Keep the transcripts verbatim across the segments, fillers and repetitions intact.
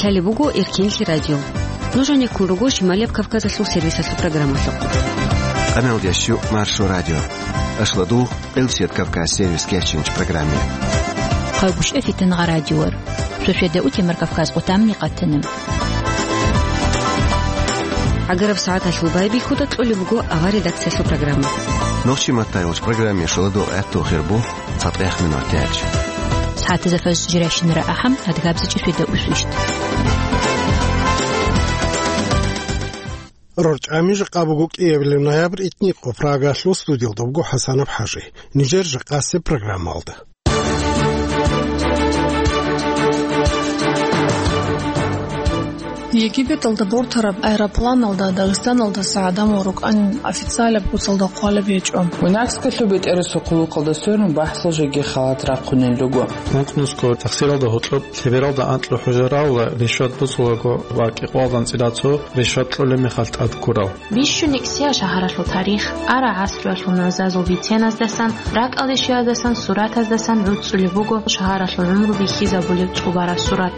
Гьале буго Эркенлъи радио. Нуж гьанеккун руго Шималияб Кавказалъул сервисалъул программалъухъ. Къаналдеш Маршо радио. Ашладу Къилсият Кавказ сервис кеченч программе. Хъалгушев Фитангъа радиор. Шошеда утемар Кавказ къутамни къатана. Агараб сагӀаталъул байбихьуда кьолеб буго авар редакциялъул программа. Нохчи маттайвач программе шоладу гӀатту хирбу. ЦатӀех минутач. СагӀатазда фажр жирашинара ахӀам, адгабзичӀи шведа усвищт. РорчӀами жакъа буго кӀиабилеб ноябрь, итни къо Прагалъул студиялда буго ХӀасанаб ХӀажи. Нижер жакъасеб программалда. Египеталда бортараб аэропланалда Дагъистаналдаса гӀадамал рукӀанин официалаб куцалда хъвалеб гьечӀо. Винарскалъуб бетӀерасул хъулухъалда сверун бахӀсал жеги халат рахъунел руго. Ункънусго тахсиралда гьоркьоб лъебералда анкьа хӀужа равла ришват бусулаго ва кӀикъвалдан цӀила цо ришват кьолеб мехалъ тӀад ккурал. Бищун икӀсиял шагьаралъул тарих, ара гӀасруялъул нугӀзазул биценаздасан, ракӀалде щвеялдасан, суратаздасан гӀуцӀцӀулеб буго шагьаралъул гӀумру бихьизабулеб цӀубараб сурат.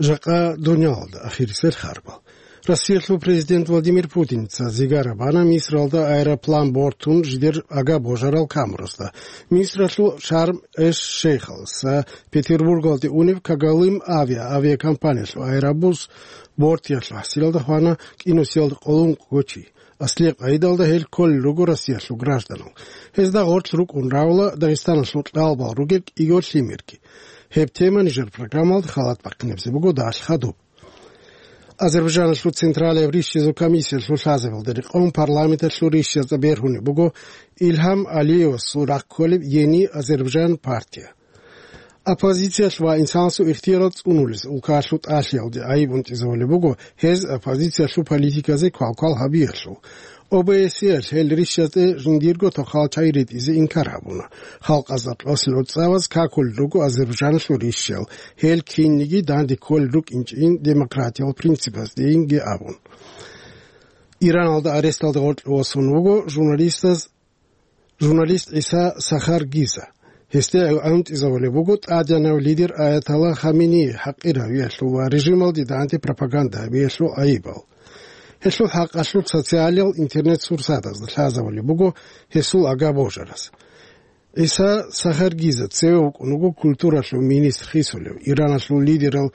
Жакъа дунялалда ахирисел харбал. Россиялъул президент Владимир Путиница зигара бана Мисралда аэроплан бортун жидер агабожарал камурасда. Мисралъул Шарм-эш-Шейхалдаса Петербургалде унеб Кагалым авиа авиакомпаниялъул аэробус бортиялъул хӀасилалда хвана, кӀинусиялда къоло ункъго чи. Аслияб къайдалда гьел кколел руго Россиялъул гражданал. Гьезда гъорлъ рукӀун равла Дагъистаналъул кьалбал ругел кӀиго лъимерги. Гьеб тема нижер программалда халат бахъинабзе буго далъ хадуб. Азербайджаналъул Централияб рищизул комиссиялъул лъазабалда рекъон парламенталъул рищазда бергьунеб буго Илгьам Алиевасул рахъ кколеб Ени Азербайджан партия. Оппозициялъ ва инсанасул ихтиярал цӀунулес улкаялъул тӀалъиялде гӀайиб унтӀизавулеб буго гьез оппозициялъул политиказе квалквал гьабиялъул. О Б С Е-ялъ гьел рищазде жиндирго тохал чай ретӀизе инкар гьабуна. Халкъазда кьолъул гӀуцӀаваз какулел руго Азербайджаналъул рищал, гьел кинниги данде кколел рукӀинчӀин демократиял принципаздейинги абун. Ираналда аресталда гъоркье восун вуго журналистаз, журналист ГӀиса Сахар Гиза. Гьесде гӀунтӀизавулеб буго тӀадегӀанав лидер Аятолла Хаменеи хӀакъир гьавиялъул ва режималде данде пропаганда гьабиялъул гӀайибал. Гьелъул хӀакъалъулъ социалиял интернет-сурсатазда лъазавулеб буго гьесул агабожараз. ГӀиса Сахар Гиза цеве вукӀун вуго культуралъул министр хисулев. Ираналъул лидерал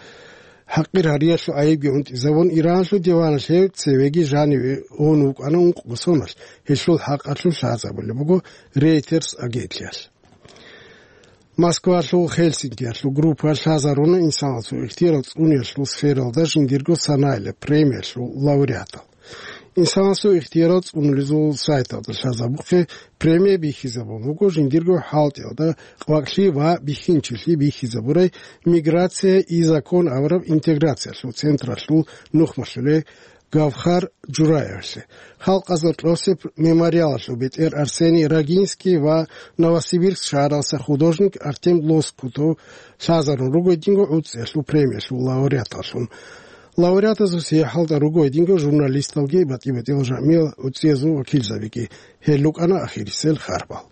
хӀакъир гьариялъул гӀайибги унтӀизавун, Ираналъул диваналъ гьев цевеги жаниве ун вукӀана ункъго соналъ, гьелъул хӀакъалъулъ лъазабулеб буго Reuters агенталъ. Москвалъул Хельсинкиялъул группа лъазаруна инсанасул ихтиярал цӀуниялъул сфералда жиндирго санаилаб премиялъул лауреатал. Инсанасул ихтиярал цӀунулезул сайталда лъазабухъе премия бихьизабун буго жиндирго хӀалтӀиялда къвакълъи ва бихьинчилъи бихьизабурай миграция и закон абураб интеграциялъул централъул нухмалъулей Гавхар Жураевлъи. Халкъазда кьосеб мемориалалъул бетӀер Арсений Рогинский ва Новосибирск шагьаралса художник Артем Лоскутов лъазарун руго гьединго гӀуцӀиялъул премиялъул лауреаталъун. Лауреатазул сияхӀалда руго гьединго журналисталги батӀи-батӀиял жамгӀиял гӀуцӀиязул вакилзабиги. Гьел рукӀана ахирисел харбал.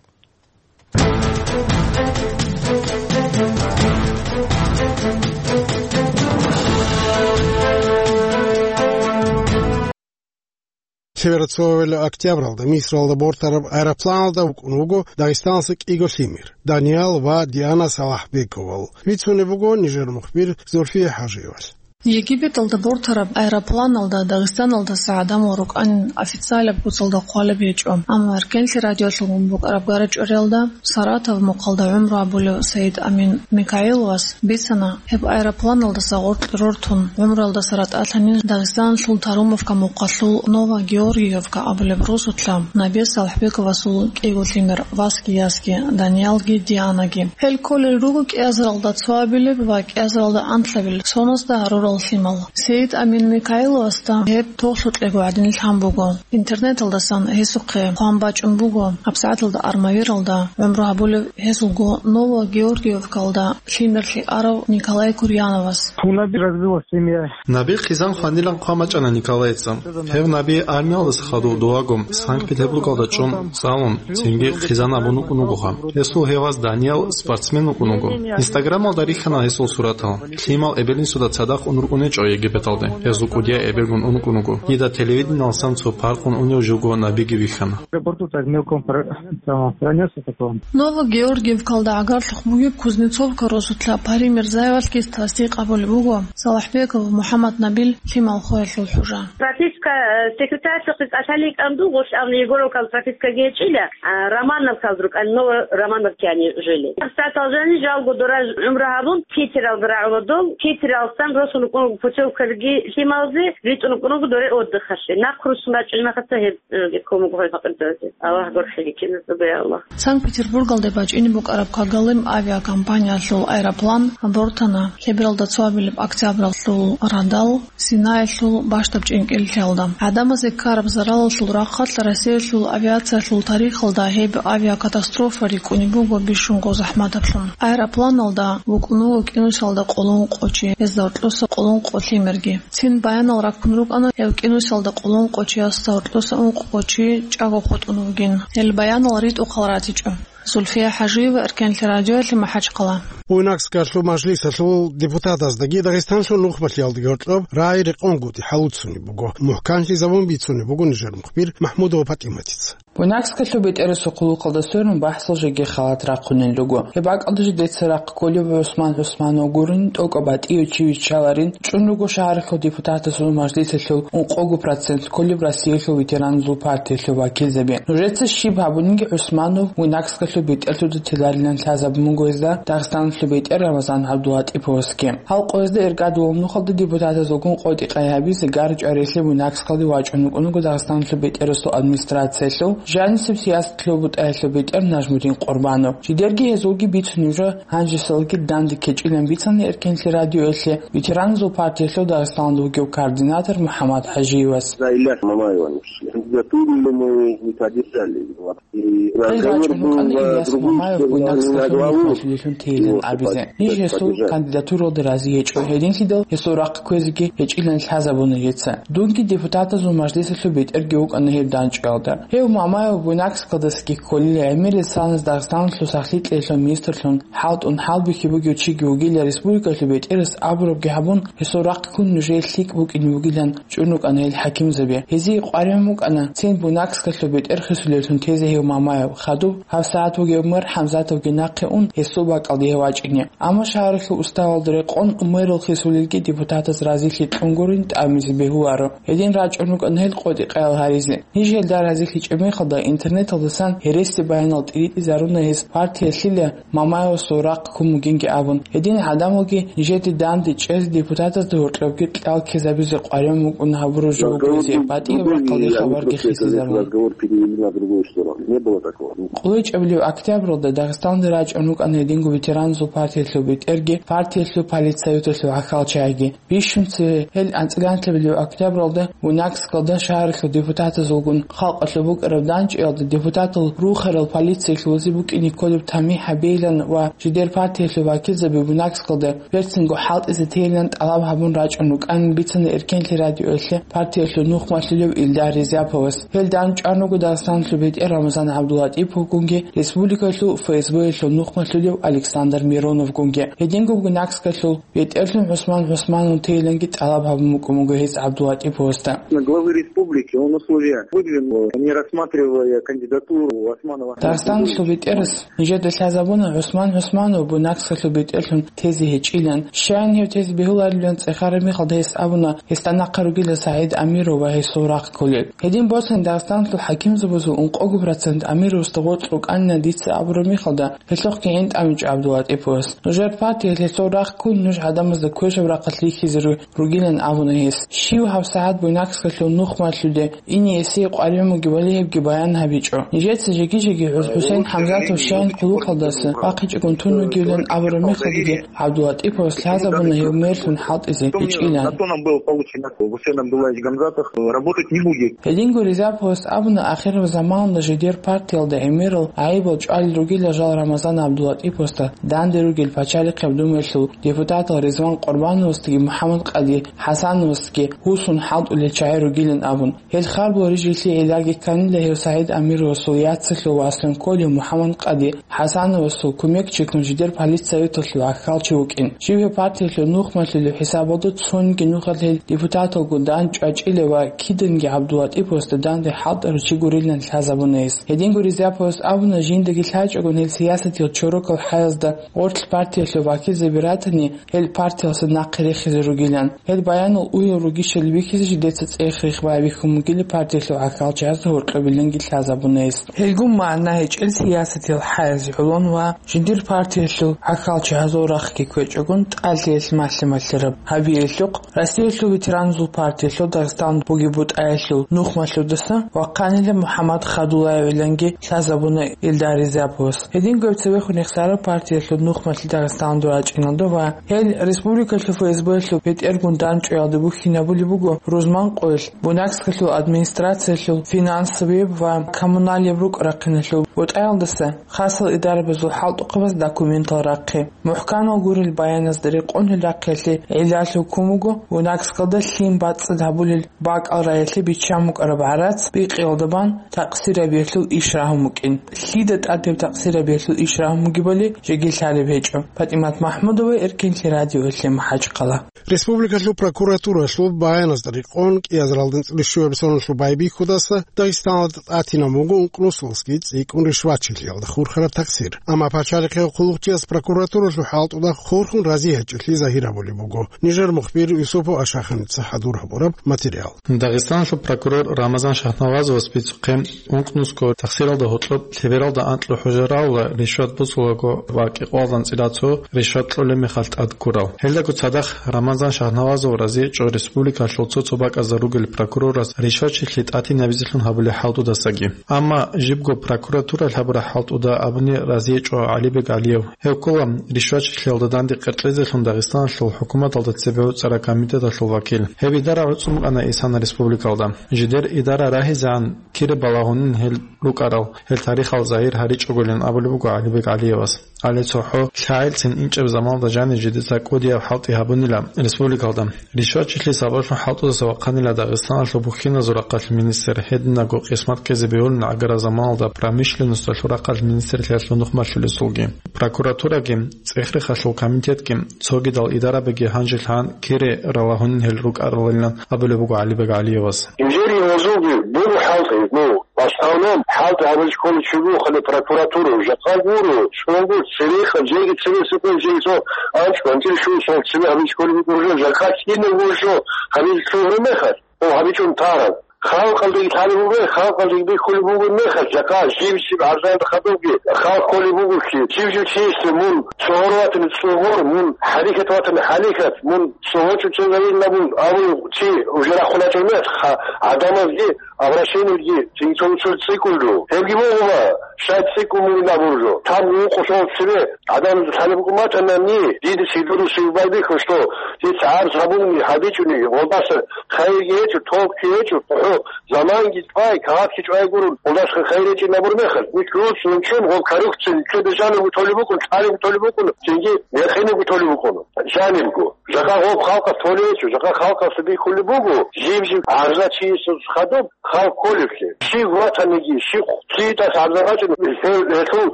Лъеберацоавилла октябралда Мисралда бортараб аэропланалда вукӀун вуго Дагъистаналъа кӀиго лъимер, Даниял ва Диана Салахбековал. Бицунеб буго нижер мухбир Зульфия ХӀажиевалъ. Египеталда бортараб аэропланалда Дагъистаналдаса гӀадамал рукӀанин официалаб куцалда хъвалеб гьечӀо. Амма Эркенлъи радиолъулгун букӀараб гара-чӀвариялда Саратов мухъалда гӀумру гьабулев Саид Амин Микаиловас бицана, гьеб аэропланалдаса гъоркь рортун гӀумруялдаса ратӀалъанин Дагъистаналъул Тарумовка мухъалъул Новогеоргиевка абулеб росулъа Набес Салахбековасул кӀиго лъимер, васги ясги, Даниялги Дианаги. Гьел кколел руго кӀиазаралда цоабилеб ва кӀиазаралда анлъабилеб соназда гьарураб лъимал. Саид Амин Микаиловасда гьеб тоглъукьего гӀадин лъан буго. Интернеталдасан гьесухъе хъван бачӀун буго, гьабсагӀаталда армавиралда гӀумру гьабулев гьезулго Новогеоргиевкалда лъимерлъи арав Николай Курьяновас. У Наби развелась семья. Наби хъизан хванилан хъван бачӀана Николайица. Гьев Наби армиялдаса хадув дувагум Санкт-Петербургалда чӀун цӀалун, цинги хъизан абун вукӀун вугоха. Гьесул гьеваз Даниял спортсмен вукӀун вуго. Инстаграмалда рихьана гьесул суратал. Лъимал эбел-инсуда цадахъ ун рукӀунечӀо Египеталде. Гьезул кӀудияй эбелгун ункӀун вуго. Дида телевидениялсан цо паркъун унев живго Набиги вихьана. Аэропорту так мелком про-, там, пронёсся такого. Новогеоргиевкалда гӀагарлъухъ бугеб Кузнецовка росулъа Пари Мирзаевалъги тасдикъ гьабулеб буго Салахбеков МухӀаммад Набил лъимал хвеялъул хӀужа. Прописка, э, секретарьлъухъе кӀалъалин кӀанду, гъолъ абни Егоровкал пропискаги гьечӀила, а, Романовкал рукӀан, Ново-Романовке они жили. ГьабсагӀатал жани жалго дора гӀумру гьабун, Питералда рагӀула дол, Питералсан росун рукӀун путевкалги лъималзе, ритӀун рукӀун руго доре отдыхалъе. Нахъ руссун рачӀунеб мехалъ гьеб, э, кумек гьой факъирзазе. Аллагь гурхӀеги киназда, я Аллагь. Санкт-Петербургалде бачӀине букӀараб Когалым авиакомпаниялъул аэроплан абортана лъебералда цоабилеб октябралъул радал Синаялъул бащдаб чӀинкӀиллъиялда. ГӀадамазе ккараб заралалъул рахъалъ Россиялъул авиациялъул тарихалда гьеб авиакатастрофа рикӀкӀунеб буго бищунго захӀматаблъун. Аэропланалда вукӀун вуго кӀинусалда къоло ункъо чи, гьезда гьоркьоса къоло ункъо лъимерги. Цин баянал раккун рукӀана гьев кӀинусалда къоло ункъо чиясда гьоркьоса ункъо чи чӀаго хутӀун вугин. Гьел баянал ритӀухъал ратичӀо. Зульфия ХӀажиева, Эркенлъи радиоялъе, МахӀачхъала. Буйнакскалъул мажлисалъул депутатаздаги Дагъистанлъул нухмалъиялдаги гьоркьоб рагӀи рекъонгутӀи хӀалуцунеб буго. МухӀканлъи замун бицунеб буго нижер мухбир МахӀмудова ПатӀиматица. Буйнакскалъул бетӀерасул хъулухъалда сверун бахӀсал жеги халат рахъунел руго. Гьеб бакӀалда жидеца рахъ кколев ГӀусман ГӀусманов гурин, тӀокӀаб батӀияв чи виччаларин, чӀун руго шагьаралъул депутатазул мажлисалъул ункъого процент кколеб Россиялъул ветераназул партиялъул вакилзаби. Нужеца щиб гьабуниги ГӀусманов Буйнакскалъул бетӀерлъуда теларилан лъазабун буго гьезда Дагъистаналъул бетӀер Рамазан ГӀабдулатӀиповасги. Гьал къоязда иргадулаб нухалда депутатазулгун къотӀи-къай гьабизе гар-чӀварилъи Буйнакскалде вачӀун вукӀун вуго Дагъистаналъул бетӀерасул администрациялъул жанисеб сиясатлъул бутӀаялъул бетӀер Нажмудин Къурбанов. Жидерги гьезулги бицунеб жо гьанжесалги данде кечӀилан бицана Эркенлъи радиоялъе ветераназул партиялъул Дагъистаналда вугев координатор МухӀаммад ХӀажиевас. За Ильяса Мамаева не пришли. Кандидатуру мы не поддержали. И разговор был на другую сторону, не на главу. Гьел рачӀун рукӀана Ильяс Мамаев Буйнакскалъул нухмалъилелъун тейилан абизе. Ниж гьесул кандидатуралда рази гьечӀо, гьединлъидал гьесул рахъ кквезеги гьечӀилан лъазабуна гьеца. Дунги депутатазул мажлисалъул бетӀерги вукӀана гьеб данчӀвалда. Гьев Мамаев Буйнакскалдасаги кколила, гӀемерисанас Дагъистаналъул сахлъи кьеялъул министрлъун хӀалтӀун хӀалбихьи бугев чиги вугила, республикалъул бетӀерас абурабги гьабун, гьесул рахъ ккун нужее лъикӀ букӀине бугилан чӀун рукӀана гьел хӀакимзаби. Гьезие къваригӀун букӀана цин Буйнакскалъул бетӀер хисулеллъун тезе гьев Мамаев. Хадуб гьабсагӀат вугев мэр ХӀамзатовги нахъе ун, гьесул бакӀалде гьев вачӀине. Амма шагьаралъул уставалда рекъон мэрал хисулелги депутатаз разилъи кьун гурин тӀамизе бегьуларо. Гьедин рачӀун рукӀана гьел къотӀи-къаял гьаризе. Ниж гьелда разилъичӀеб мехалда интернеталдасан гьереси баянал тӀиритӀизаруна гьез партиялъила Мамаевасул рахъ ккун бугинги абун. Гьедин гӀадамалги нижеде данде чӀезе депутатазда гьоркьобги кьал ккезабизе къваригӀун букӀун гьабураб жо буго гьезие, батӀияб рахъалде хабарги хисизарун. Разговор перевели на другую сторону. Не было такого. КъолечӀебилев октябралда Дагъистаналда рачӀун рукӀана гьединго ветераназул партиялъул бетӀерги, партиялъул политсоветалъул гӀахьалчагӀиги. Бищун цеве гьел анцӀила анлъабилев октябралда Буйнакскалда шагьаралъул депутатазулгун халкъалъул букӀараб данчӀиялда депутатал рухарал полициялъулазе букӀине кколеб тамихӀ гьабейилан ва жидер партиялъул вакилзаби Буйнакскалда берцинго хӀалтӀизе тейилан тӀалаб гьабун рачӀун рукӀанин бицана Эркенлъи радиоялъе партиялъул нухмалъулев Илдар Ризаповас. Гьел данчӀван руго Дагъистаналъул бетӀер Рамазан ГӀабдулатӀиповгунги, республикалъул ФСБ-ялъул нухмалъулев Александр Мироновгунги. Гьединго Буйнакскалъул бетӀерлъун ГӀусман ГӀусманов тейиланги тӀалаб гьабун букӀун буго гьес ГӀабдулатӀиповасда. Главы республики он условия выдвинул, не рассматривая кандидатуру Османова. Дагъистаналъул бетӀерас нижеда лъазабуна ГӀусман ГӀусманов Буйнакскалъул бетӀерлъун тезе гьечӀилан. Щайин гьев тезе бегьуларилан цӀехараб мехалда гьес абуна, гьесда нахъа ругила СагӀид Амиров ва гьесул рахъ кколел. Гьедин Босани Дагъистаналъул хӀакимзабазул ункъого процент амирасда гъоркь рукӀанина дица абураб мехалда, гьелъухъги гӀин тӀамичӀо ГӀабдуллатӀиповас. Нужер партиялъ гьесул рахъ ккун нуж гӀадамазда квешаб рахъалъ рихьизе ру-, ругилан абуна гьес. Щив гьабсагӀат Буйнакскалъул нухмалъуде ине эсие къваригӀун бугебали гьебги баян гьабичӀо. Нижеца жеги-жеги ХӀу-, ХӀусейн ХӀамзатов щайин хъулухъалдаса вахъичӀогун тун вугевлъун абураб мехалдаги ГӀабдуллатӀиповас лъазабуна гьев мерлъун хӀалтӀизе гьечӀилан. На то нам был получен Гусейн Абдуллаевич Гамзатов, э, работать не будет. Гьединго Ризаповас абуна ахираб заманалда жидер партиялда гӀемерал гӀайибал чӀвалел ругила жал Рамазан ГӀабдуллатӀиповасда данде ругел пачалихъияб думаялъул депутатал Ризван Къурбановасдаги МухӀаммад-Къади ХӀасановасдаги гьусун хӀалтӀулел чагӀи ругилан абун. Гьел харбул рижиялъе гӀиллаги кканила гьев СагӀид Амировасул яцалъул васун кколев МухӀаммад-Къади ХӀасановасул кумекчигун жидер политсоветалъул гӀахьалчи вукӀин. Жиб гьев партиялъул нухмалъулев хӀисабалда цониги нухалъ гьел депутаталгун дандчӀвачӀила ва киданги ГӀабдуллатӀиповасда данде хӀалтӀарав чи гурилан лъазабуна гьес. Гьединго Ризаповас абуна, жиндаги лъачӀогун гьел сиясатиял чорокал хӀаязда гъорлъ партиялъул вакилзаби ратани, гьел партиялъе нахъе рехизе ругилан. Гьел баянал уял ругищали бихьизе жидеца цӀех-рех байбихьун бугила партиялъул гӀахьалчиясда гьоркьобиланги лъазабуна гьес. Гьелгун магӀна гьечӀел сиясатиял хӀаяз гӀолон ва жиндир партиялъул гӀахьалчиясул рахъги ккечӀогун тӀалъиялъ малъи-малъараб гьабиялъухъ, Россиялъул ветераназул партиялъул Дагъистан бугеб бутӀаялъул нухмалъудаса вахъанила МухӀаммад Хадулаевиланги лъазабуна Илдар Ризаповас. Гьединго гьеб цевехун Ихсараб партиялъул нухмалъи Дагъистаналда рачӀиналда ва гьел республикалъул ФСБ-ялъул бетӀергун дандчӀваялда бухьинабулеб буго рузман къоялъ, Буйнакскалъул администрациялъул финансовияб ва коммуналияб рукӀа-рахъиналъул бутӀаялдаса хасал идарабазул хӀалтӀухъабаз документал рахъи. МухӀканал гурел баяназда рекъон гьел рахъиялъе гӀиллалъул ккун буго Буйнакскалда лъим бацӀцӀад гьабулел бакӀал раялъе биччан букӀараб гӀарац бикъиялда бан такъсирабиялъул иш рагьун букӀин. Лъида тӀад гьеб такъсирабиялъул иш рагьун бугебали жеги лъалеб гьечӀо. ПатӀимат МахӀмудова, Эркинлъи радиоялъе, МахӀачхъала. Республикалъул прокуратуралъул баяназда рекъон, кӀиазаралдин цӀулищуяб соналъул байбихьудаса Дагъистаналда тӀатинаб буго ункънусалъги цӀикӀкӀун ришвачилъиялда хурхараб такъсир. Амма пачалихъе хъулухъчияс прокуратуралъул хӀалтӀуда хурхун рази гьечӀолъи загьир гьабулеб буго. Нижер мухбир Юсупов Ашаханица хӀадур гьабураб материал. Дагъистаналъул прокурор Рамазан Шагьнавазовас бицухъе ункънусго такъсиралда гьоркьоб лъебералда анкьго хӀужа рагӀула ришват босулаго ва кӀикъоялда анцӀила цо ришват кьолеб мехалъ тӀад ккурал. Гьелдаго цадахъ Рамазан Шагьнавазов разиечӀо республикалъул цо-цо бакӀазда ругел прокурорас ришвачилъи тӀатинабизелъун гьабулеб хӀалтӀудасаги. Амма жибго прокуратуралъ гьабураб хӀалтӀуда абуни разиечӀо ГӀалибек ГӀалиев. Гьев ккола ришвачилъиялда данде къеркьезелъун Дагъистаналъул хӀукуматалда цебе гӀуцӀараб комитеталъул вакил. Гьеб идара гӀуцӀун букӀана Исан Республикалда. Жидер идара рагьизегӀан кире балагьунин гьел рукӀарал, гьел тарихал загьир гьаричӀогойилан абулеб буго ГӀалибек ГӀалиевас. Гьале цохӀо лъагӀелцин инчӀеб заманалда жанив жидеца кӀудияб хӀалтӀи гьабунила республикалда. Ришвачилъи сабаблъун хӀалтӀудаса вахъанила Дагъистаналъул бухьиназул рахъалъ министр, гьединаго къисмат ккезе бегьулин гӀагараб заманалда промышленносталъул рахъалъ министрлъиялъул нухмалъулесулги. Прокуратураги, цӀех-рехалъул комитетги, цогидал идарабиги гьанжелъ гьан кире ралагьунин гьел рукӀаралилан абулеб буго ГӀалибек ГӀалиевас. Инженерный возуги буго хӀалтӀи, ну, в основном хӀалтӀи гьабизе кколев чи вуго хӀале прокуратура, жакъа гуро, цо гуро, церехъан, жеги цебе сипе, жеги цо анцӀ квартир щун, цо цебе гьабизе кколев вуго, жакъа кинав гуро, гьабизе кколеб мехалъ. О, гьабичӀун тараб. Халкъалдаги лъалеб буго, халкъалдаги бихьулеб буго мехалъ, жакъа жиб-жиб гӀарзаялда хадубги, халкъ кколеб буго чи, жиб-жиб чиясда мун цогьор ватани цогьор, мун хӀарикат ватани хӀарикат, мун цогьочӀо цо гьавилла мун, абун чи уже рахъун гьечӀеб мехалъ, ха-, гӀадамазги обращениеги цинги цо-, цо цӀикӀкӀун жо. Гьебги буго ма, щай цӀикӀкӀун бугин абун жо. Там ункъо цо цебе гӀадамазда лъалеб букӀун батани, дида цидуруси байбихьун, что дица гӀарз гьабуни, гьабичӀони, гъолдаса хайирги гьечӀо, толкги гьечӀо, хӀо, заманги чӀвай, кагъатги чӀвай гурун, гъолдаса хайир гьечӀин абур мехалъ, нилъ руцӀцӀун чун, гъол коррупция нилъеда жанибго толеб букӀун, лъалебго толеб букӀун, цинги якъинабго толеб букӀун, жанибго. Жакъа гъоб халкъалъ толеб гьечӀо, жакъа халкъалъ бихьулеб буго, жиб-жиб гӀарза чиясда хадуб, халкъ кколеблъи. Щив ватаниги, щив цӀикӀкӀун гӀарза бачӀун, гьел, гьелъул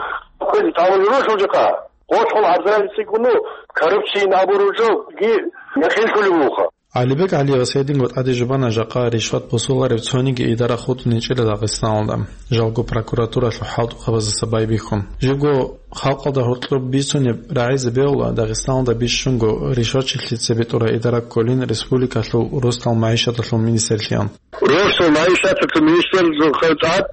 квез тавал рушул жакъа. Гъолъул гӀарзаби цӀикӀкӀун, коррупциян абуру жо, ги яхинлъулеб буха. ГӀалибек ГӀалиевас гьединго тӀаде жубана жакъа ришват босуларев цониги идара хутӀун гьечӀила Дагъистаналда, жалго прокуратуралъул хӀалтӀухъабаздаса байбихьун. Жибго халкъалда гьоркьоб бицунеб рагӀизе бегьула Дагъистаналда бищунго ришвачилъи цебетӀура идара кколин республикалъул росдал магӀишаталъул министрлъиялъ. Росдал магӀишаталъул министрлъиялъул хъал тӀад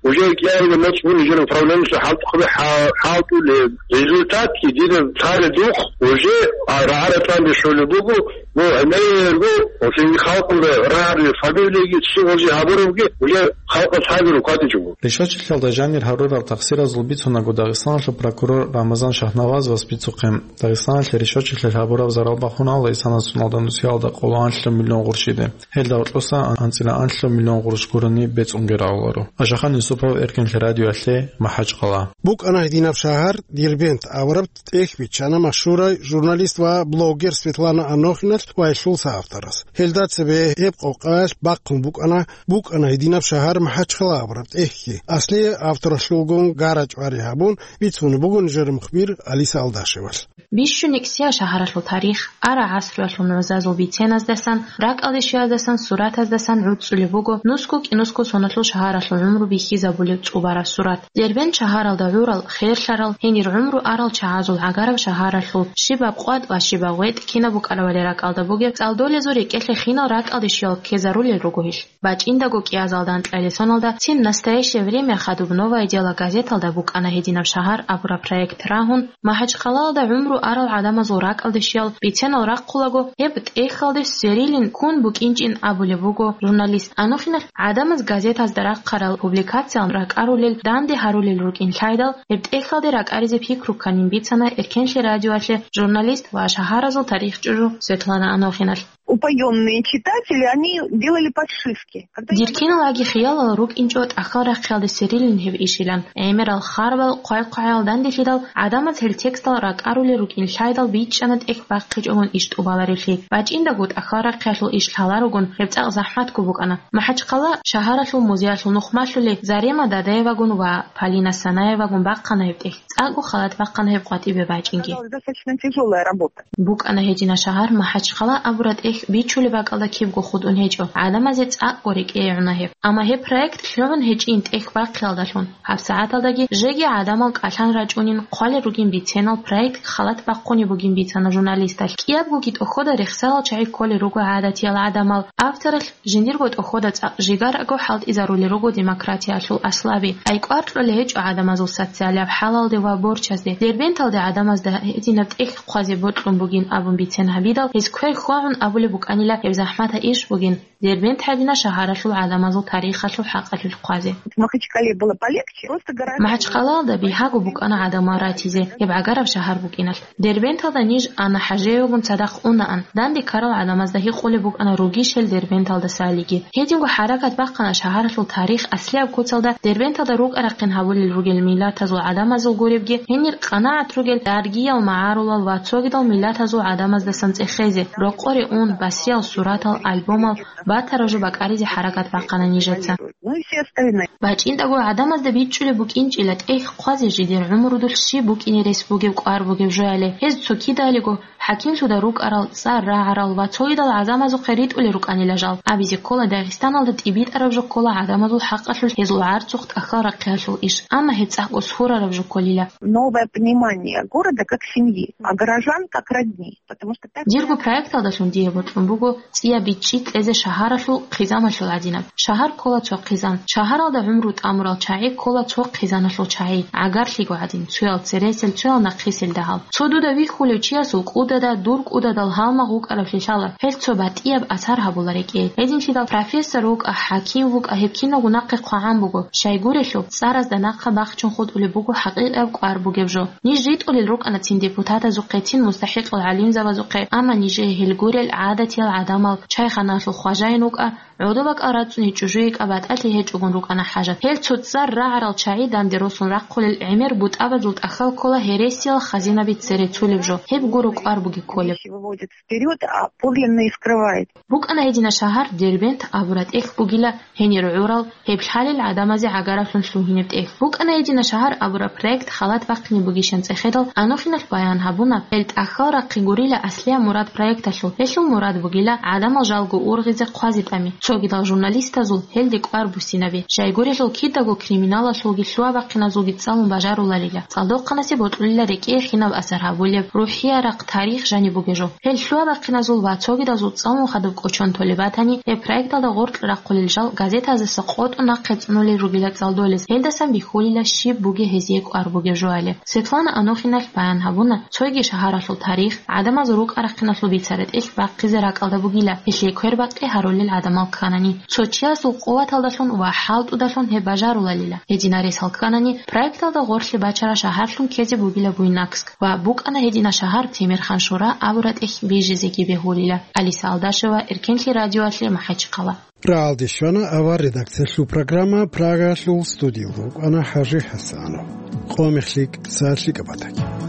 уже кӀиабилеб моцӀ буго жер управлениялъул хӀалтӀухъаби хӀа-, хӀалтӀулеб. Результатги дида цалидухъ уже, а, рагӀа-ратӀан рещтӀулеб буго, ну, гӀемерго, ва цинги халкъалда рагӀараб фамилияги цо гъозе гьабурабги уже халкъалъ гьабизе кӀватӀичӀого. Ришвачилъиялда жанир гьарурал тахсиразул бицунаго Дагъистаналъул прокурор Рамазан Шагьнавазовас бицухъе, Дагъистаналъе ришвачилъиялъ гьабураб зарал бахунарола исана соналда нусиялда къоло анлъго миллион гъурущиде. Гьелда гьоркьоса анцӀила анлъго миллион гъурущ гурони бецӀунги рагӀуларо. Ашахан Юсупов, Эркенлъи радиоялъе, МахӀачхъала. БукӀана гьединаб шагьар Дербент абураб тӀехь биччана машгьурай журналист ва блогер Светлана Анохиналъ ва гьелъул соавторас. Гьелда цебе гьеб къокъаялъ бахъун букӀана, букӀана гьединаб шагьар МахӀачхъала абураб тӀехьги. Аслияб авторалъулгун гара-чӀвари гьабун, бицунеб буго нижер мухбир Алиса Алдашевалъ. Бищун икӀсияб шагьаралъул тарих, ара гӀасруялъул нугӀзазул биценаздасан, ракӀалде щвеяздасан, суратаздасан гӀуцӀцӀулеб буго нусго-кӀинусго соналъул шагьаралъул гӀумру бихьизабулеб цӀубараб сурат. Дербент шагьаралда гӀурал, херлъарал, гьенир гӀумру арал чагӀазул гӀагараб шагьаралъул щибаб къватӀ ва щибаб гъветӀ кинаб букӀарабали ракӀалда бугеб цӀалдолезул рекӀелъе хинал ракӀалде щвеял ккезарулел руго гьелъ. БачӀиндаго кӀиазалда анкьалил соналда «Цин настоящее время» хадуб «Новое дело» газеталда букӀана гьединаб шагьар абураб проект рагьун, МахӀачхъалаялда гӀумру арал гӀадамазул ракӀалде щвеял биценал рахъулаго, гьеб тӀехьалде сверилин ккун букӀинчӀин абулеб буго журналист Анохиналъ. ГӀадамаз газетазда рахъарал публикациял ракӀарулел, данде гьарулел рукӀин лъайдал, гьеб тӀехьалде ракӀаризе пикру кканин бицана Эркенлъи радиоялъе журналист ва шагьаразул тарих чӀужу Светлана Анохиналъ. Упоённые читатели, они делали подшивки. Когда я Дир киналаги хиялал рукӀинчӀо тӀахьал рахъиялда сверилин гьеб ишилан. ГӀемерал харбал, хъвай-хъвагӀаял данделъидал, гӀадамаз гьел текстал ракӀарулел рукӀин лъайдал бичӀчӀана тӀехь бахъичӀогун иш тӀубаларевлъи. БачӀиндаго тӀахьал рахъиялъул иш лъаларогун гьеб цӀакъ захӀматго букӀана. МахӀачхъала шагьаралъул музеялъул нух малъулей Зарема Дадаевагун ва Полина Санаевагун бахъана гьеб тӀехь. ЦӀакъго халат бахъана гьеб къватӀибе бачӀинги. Оказалась достаточно тяжёлая работа. БукӀана гьедина шагьар МахӀачхъала абураб тӀехь бичулеб бакӀалда кибго хутӀун гьечӀо, гӀадамазе цӀакъго рекӀее гӀуна гьеб. Амма гьеб проект лъугӀун гьечӀин тӀехь бахъиялдалъун, гьабсагӀаталдаги жеги гӀадамал кӀалъан рачӀунин хъвалел ругин биценал проект халат бахъунеб бугин бицана журналисталъ. КӀиябгоги тӀохода рехсарал чагӀи кколел руго гӀадатиял гӀадамал, авторалъ жиндирго тӀохода цӀакъ жигарго хӀалтӀизарулел руго демократиялъул аслаби. ТӀайкӀвар кьолей гьечӀо гӀадамазул социалияб хӀалалде ва борчазде. Дербенталде гӀадамазда гьединаб тӀехь хъвазе бокьун бугин абун бицен гьабидал, гьез квер хьвагӀун абулеб букӀанила гьеб захӀматаб иш бугин, Дербент гьадина шагьаралъул гӀадамазул тарихалъул хӀакъалъулъ хъвазе. В Махачкале было полегче, просто гораздо МахӀачхъалаялда бигьаго букӀана гӀадамал ратизе, гьеб гӀагараб шагьар букӀиналъ. Дербенталда ниж Анна ХӀажиевагун цадахъ унаан, данде ккарал гӀадамазда гьикъулеб букӀана ругищ гьел Дербенталдасалиги. Гьединго хӀаракат бахъана шагьаралъул тарих аслияб куцалда Дербенталда рукӀа-рахъин гьабулел ругел миллатазул гӀадамазул гуребги, гьенир къанагӀат ругел даргиял, магӀарулал ва цогидал миллатазул гӀадамаздасан цӀехезе, рокъоре ун, басриял суратал, альбомал, батараб жо бакӀаризе хӀаракат бахъана нижеца. Ну и все остальные. БачӀиндаго гӀадамазда бичӀчӀулеб букӀинчӀила тӀехь хъвазе жидер гӀумрудулъ щиб букӀине рес бугеб кӀвар бугеб жояли, гьез цо кидалего хӀакимлъуда рукӀарал, цӀар рагӀарал ва цогидал гӀадамазухъе ритӀулел рукӀанила жал. Абизе ккола, Дагъистаналда тӀибитӀараб жо ккола гӀадамазул хӀакъалъулъ гьезул гӀарцухъ тӀахьал рахъиялъул иш, амма гьеб цӀакъго сурараб жо кколила. Новое понимание города как семьи, а горожан как родни. Потому что так Дирго проекталдалъун дие бокьун буго цӀияб бичӀчӀи кьезе шагьаралъул хъизамалъул гӀадинаб. Шагьар ккола цо хъизан. Шагьаралда гӀумру тӀамурал чагӀи ккола цо хъизаналъул чагӀи, гӀагарлъиго гӀадин, цоял цересел, цоял нахъисел дагьал. Цо дуда вихьулев чиясул кӀудада, дур кӀудадал гьалмагъ вукӀаравлъи лъала, гьел цо батӀияб асар гьабула рекӀее. Гьединлъидал профессор вукӀа, хӀаким вукӀа, гьеб киналго нахъе хъвагӀан буго. Щайгурелъул, цӀаразда нахъа бахчун хутӀулеб буго хӀакъикъияб кӀвар бугеб жо. Ниж ритӀулел рукӀана цин депутатазухъе, цин мустахӀикъал гӀалимзабазухъе, амма нижее гьел гурел гӀадатиял гӀадамал, чайханалъул хважаин вукӀа, гӀодобакӀал рацӀцӀуни чӀужу йикӀа батӀалъи гьечӀогун рукӀана хӀажат. Гьел цоцӀар рагӀарал чагӀи данде росун рахъулел гӀемер бутӀабазул тӀахьал ккола гьересиял хазинаби цере цулеб жо, гьеб гуро кӀвар буги кколеб. Выводит вперёд, а подлинное скрывает. БукӀана гьедина шагьар Дербент абураб тӀехь бугила, гьенир гӀурал, гьеб лъалел гӀадамазе гӀагаралъун лъугьинеб тӀехь. БукӀана гьедина шагьар абураб проект халат бахъине бугищан цӀехедал, Анохиналъ баян гьабуна, гьел тӀахьал рахъи гурила аслияб мурад проекталъул. Гьелъул мурад бугила гӀадамал жалго ургъизе хъвазе тӀами, цогидал журналистазул гьелде кӀвар буссинаби. Жайгурелъул кидаго криминалалъулги лъугьа-бахъиназулги цӀалун бажаруларила. ЦӀалдохъанасе бокьулила рекӀее хинаб асар гьабулеб, рухӀиярахъ тарих жаниб бугеб жо. Гьел лъугьа-бахъиназул ва цогидазул цӀалун хадуб кӀочон толеб батани, гьеб проекталда гъоркь рахъулел жал газетаздаса къотӀун нахъе цӀунулел ругила цӀалдолез, гьелдасан бихьулила щиб бугеб гьезие кӀвар бугеб жоялеб. Светлана Анохиналъ баян гьабуна, цоги шагьаралъул тарих, гӀадамазул рукӀа-рахъиналъул бицараб тӀехь бахъизе ракӀалда бугила, гьелъие квербакъи гьарулел гӀадамал кканани. Цо чиясул къуваталдалъун ва хӀалтӀудалъун гьеб бажаруларила. Гьединал рес гьалкканани, проекталда гъорлъе бачараб шагьарлъун ккезе бугила Буйнакск ва букӀана гьедина шагьар Темирхан-Шора абураб тӀехь бижизеги бегьулила. Алиса Алдашева, Эркенлъи радиоялъе, МахӀачхъала. РагӀалде щвана авар редакциялъул программа, Прагалъул студиялда вукӀана ХӀажи ХӀасанов. Къо-мех лъикӀ, сагӀат лъикӀаб батаги.